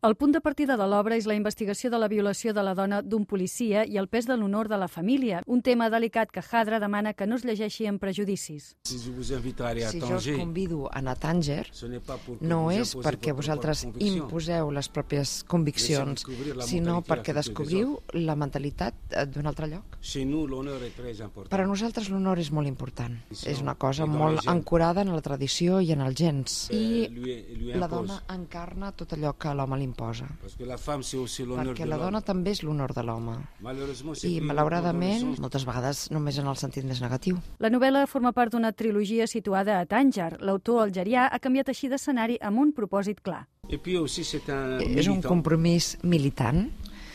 El punt de partida de l'obra és la investigació de la violació de la dona d'un policia i el pes de l'honor de la família, un tema delicat que Jadra demana que no es llegeixi amb prejudicis. Si jo us convido a anar a Tànger, no és perquè vosaltres imposeu les pròpies conviccions, sinó perquè descobriu la mentalitat d'un altre lloc. Per a nosaltres l'honor és molt important. És una cosa molt ancorada en la tradició i en els gens. I la dona encarna tot allò que l'home li imposa. Perquè la dona també és l'honor de l'home. I, malauradament, moltes vegades només en el sentit més negatiu. La novel·la forma part d'una trilogia situada a Tànger. L'autor algerià ha canviat així d'escenari amb un propòsit clar. És un compromís militant,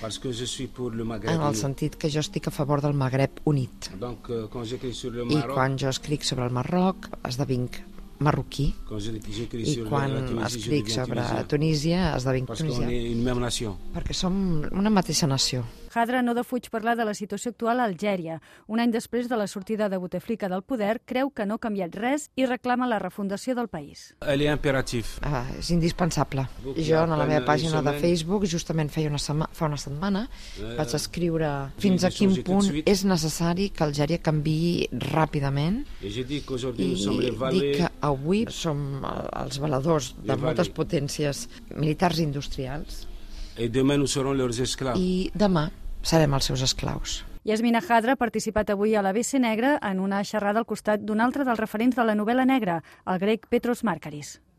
en el sentit que jo estic a favor del Magreb unit. I quan jo escric sobre el Marroc, esdevinc marroquí, i quan escric sobre Tunísia esdevinc tunisià, perquè som una mateixa nació. Jadra no defuig parlar de la situació actual a Algèria. Un any després de la sortida de Bouteflika del poder, creu que no ha canviat res i reclama la refundació del país. És indispensable. Jo, a la meva pàgina de Facebook, justament fa una setmana, vaig escriure fins a quin punt és necessari que Algèria canviï ràpidament, i dic que avui som els valedors de moltes potències militars i industrials, i demà serem els seus esclaus. Yasmina Jadra ha participat avui a l'ABC Negra en una xerrada al costat d'un altre dels referents de la novel·la negra, el grec Petros Markaris.